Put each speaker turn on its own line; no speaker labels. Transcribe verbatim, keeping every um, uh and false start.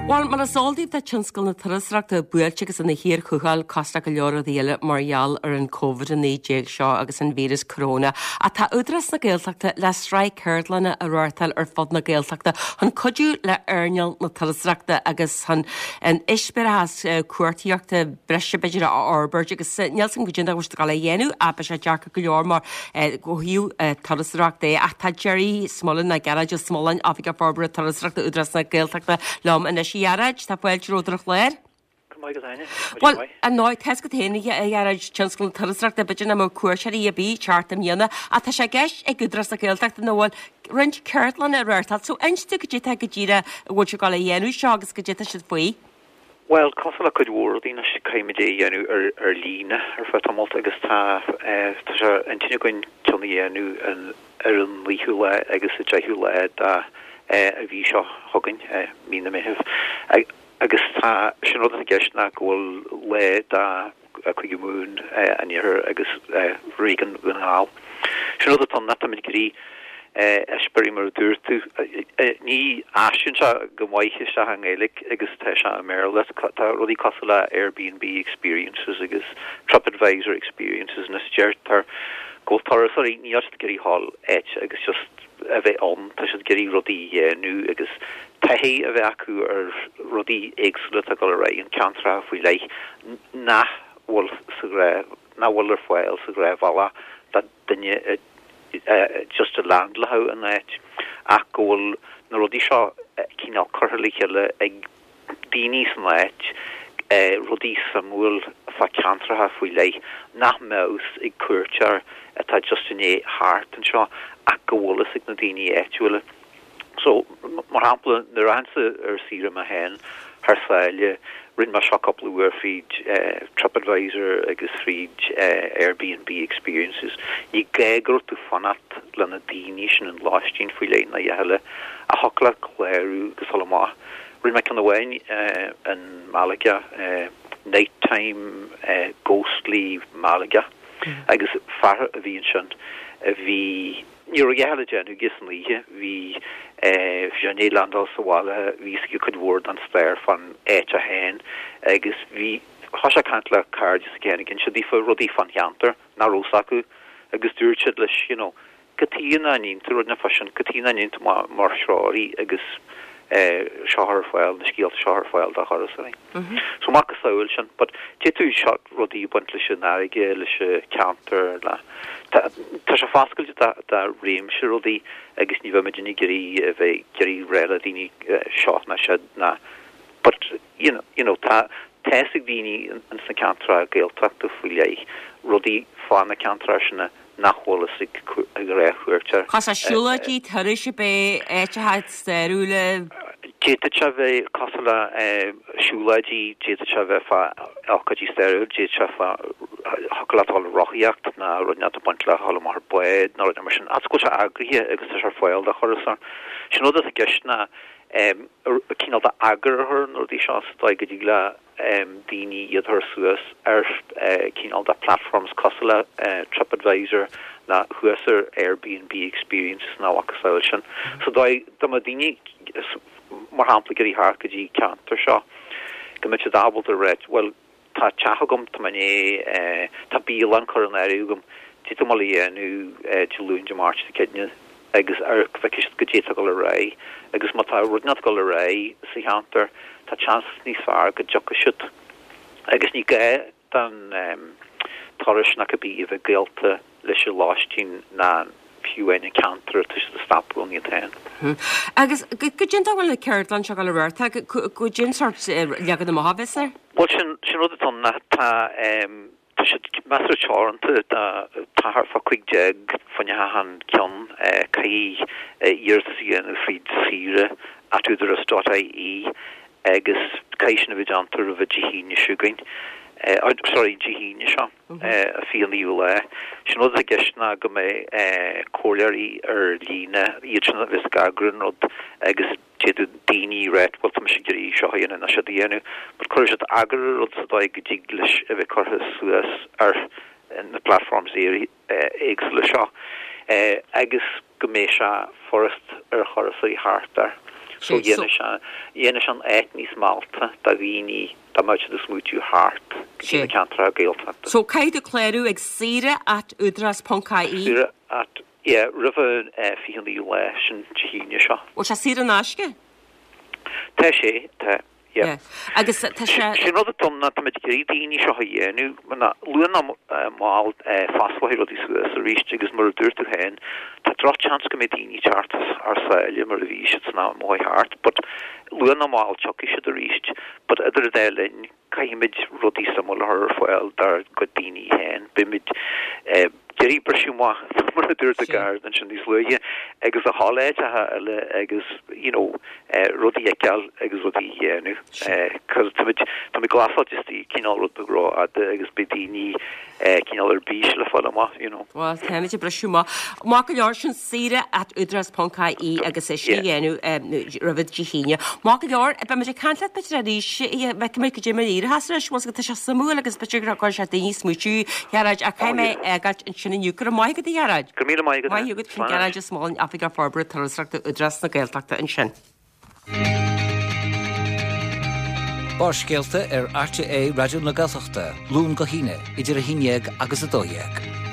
Well mar is eol daoibh tá tionscal na turasóireachta buailte agus ina shíorchúcháil cosúil le go leor rudaí eile mar gheall ar an Covid a naoi déag seo agus an víreas corona. Ach tá Údarás na Gaeltachta le sraith ceardlanna a reáchtáil ar fud na Gaeltachta chun cuidiú le earnáil na turasóireachta agus chun an eispéireas cuartaíochta breise b'fhéidir a fhorbairt agus níl san go dtí go le dhéanamh a be sé deacair go leor mar ó thaobh turasóireachta ach tá Gerry Smullen ná Gearóid Ó Smuláin Oifigeach Forbartha Turasóireachta Údarás na Gaeltachta liom anois a Ghearóid tá fáilte romhat ar an chlár. Well an ná te go féin a Ghearóid tionscal na turasóireachta b'fhéidir nach mbeadh cuairteoirí ar bith thart i mbliana ach tá sé i gceist ag Údarás na Gaeltachta nó bhfuil roinnt ceardlanna a reáchtáil so inis dúinn cad é tá go díreach a bhfuil sibh ag dul a dhéanamh seo agus cad é tá siad faoi.
Well cosúil le cuid mhór daoine caithfimid é a dhéanamh ar ar líne ar feadh tamaill agus tá tá sé intinn againn ceann a dhéanamh ar an naoú lá agus a deichiú lá de a mhí seo chugainn mí na Meitheamh. Agus tá sin rud i gceist ná go bhfuil lá de Chúige Mumhan an Iarthair agus réigiún Dhún na nGall. Sin rud atá na ag iarraidh eispéiris mar a dúirt tú ní aistríonn sé go maith isteach i nGaeilge agus tá sé i mBéarla tá rudaí cosúil le Airbnb experiences agus TripAdvisor experiences na deirtear go turasóirí ní ag iarraidh dhul áit agus just a bheith ann tá siad ag iarraidh rudaí a dhéanamh agus taithí a bheith acu ar rudaí éagsúla atá ag dul ar aghaidh an ceantar faoi leith nach bhfuil sa nach bhfuil ar fáil sa ghnáthbhealach do duine just a landláil in áit ach go bhfuil na rudaí seo cineál curtha le chéile ag daoine san áit rudaí suimiúil fá ceantracha faoi leith nach mbeadh ag cuairteoir atá just in é thart anseo ach go bhfuil fhios ag na daoine áitiúla. So mar shampla nuair a théimse ar saoire mé féin thar sáile rinne mé seo cúpla uair fríd uh, TripAdvisor agus fríd uh, Airbnb experiences. Ní gá go raibh tú fanacht le na daoine sin an lóistín faoi leith na dheile a thocla clárú agus dul amach. Rinne mé ceann amháin uh, in Malaga uh, nighttime uh, ghostly Malaga mm. agus fear a bhí ansin a bhí ní raibh le déanamh aige san oíche bhí sé ag landáil sa bhaile bhí sé cuid mhór den stair fan áit a féin agus bhí thosaigh sé caint le cairde s'aige gin siad fa rudaí fan cheantar nach raibh fhios acu agus dúirt siad leis you know cad chuige nach ndéanann tú rud na fa sin cad chuige nach ndéanann tú mar threoraí agus seo ar fáil na scéalta seo ar fáil do thurasóirí. So mar saoil sin, but dé tú seo rudaí baint leis an fharraige leis ceantar le Tá sé foscailte do réimse rudaí agus ní bheimid ag iarraidh a bheith ag iarraidh rá le daoine seo ná siad ná but you know, you know, tá tá ag daoine in sna ceantracha Gaeltachta faoi leith rudaí fá na ceantracha sin nach bhfuil fhios ag ag gnáthchuairteoir.
Cos a siúlóidí turais a bé áiteacha stairiúla
D'fhéadfadh sé bheith cosúil le siúlóidí d'fhéadfadh sé bheith fá ócáidí stairiúil d'fhéadfadh sé fá choláil rothaíocht ná rud a baint le dul amach ar bád ná rud mar sin as go sé eagraithe agus tá sé ar fáil do thurasóir. Sin rud i gceist ná cineál de eagar ar na rudaí seo sa dóigh go dtig le daoine iad a chur suas ar cineál de platforms cosúil le TripAdvisor ná thuas ar Airbnb experiences ná macasamhail sin. So dóigh do ma daoine mar shampla ag iarraidh theacht go dtí ceantar seo go mbeidh siad ábalta rá well tá teach agam tá né tá bialann curtha in áirithe agam Dé má dhéanú Dé Luain Dé Máirt céadaoine agus ar bheic go dté go le ré agus má tá rud nach go le ré sa cheantar tá seans níos fearr go dtiocfaidh siad agus ní gá don um, turas nach a bí a bheith gaolta leis an lóistín ná fiú an ceantar tá siad stopadh iad féin.
Agus go dtí bhfuil na ceardlann seo le rá go dtí sort leagan amach a bheas air?
Well sin sin rud atá na tá um, tá siad measartha teoranta tá thart fá cúig déag faoin an ceann caithfidh iarratas a dhéanamh fríd saoire at údarás dot ie agus caithfidh sin a bheith déanta roimh Dé hAoine seo chugainn. sorry Dé hAoine seo a fiche naoú lá. Sin rud i gceist ná go mbeidh comhairleoirí ar líne iad sin a bheas ag eagrú an rud agus d'fhéadfadh daoine rá well tá mise ag iarraidh seo a dhéanamh ná siad a dhéanamh, but chuir siad eagar ar rud sa dóigh go dtig leis a bheith curtha suas ar na platforms éagsúla seo. agus go mbeidh sé furast ar thurasóirí thart air. So dhéanfaidh sé dhéanfaidh sé an áit níos meallta do dhaoine dá mbeadh siad ag smaoitiú theacht go dtí na ceantracha Gaeltachta.
So caithfidh tú clárú ag saoire at údarás ponc ie.
Saoire at, yeah, roimh an fiche naoú lá, sin Dé hAoine seo.
Bhfuil sé saor in aisce?
Tá sé, tá.
Yeah. Agus tá sé.
Sé an rud atá ann ná táimid ag iarraidh daoine seo a dhéanamh, ná luath nó mall fosclóidh rudaí suas arís agus mar a dúirt tú féin, tá drochsheans go mbeidh daoine ag teacht thar sáile mar a bhí siad san am a chuaigh thart but luath nó mall tiocfaidh siad arís but idir an dá linn caithfimid rudaí suimiúla a chur ar fáil dár gcuid daoine féin. Beimid ag iarraidh briseadh amach, mar a dúirt an Garda ansin níos luaithe, agus a dhul áiteacha eile agus you know rudaí a fheiceáil agus rudaí a dhéanamh. Cos táimid táimid glasáilte istigh cineál rud beag rófhada agus beidh daoine cineál ar bís le fáil amach, you know.
Bhuel, táimid ag briseadh amach. Maith go leor, sin saoire at údarás ponc ie agus é sin a dhéanamh roimh Dé hAoine. Maith go leor, beimid ag caint leat b'fhéidir arís, feicfimid cad é mar a éireochas leis, bhfuil tá sé suimiúil agus b'fhéidir go gcuirfidh sé daoine ag smaoitiú, Ghearóid, ach caithfidh mé fhágáilt ansin inniu. Go raibh maith agat, a Ghearóid.
Go raibh míle maith agat.
Maith agat, sin Gearóid Ó Smoláin, Oifigeach Forbartha Turasóireachta Údarás na Gaeltachta ansin.
Barrscéalta ar RTÉ Raidió na Gaeltachta, Luan go hAoine, idir a haon dhéag agus a dó dhéag.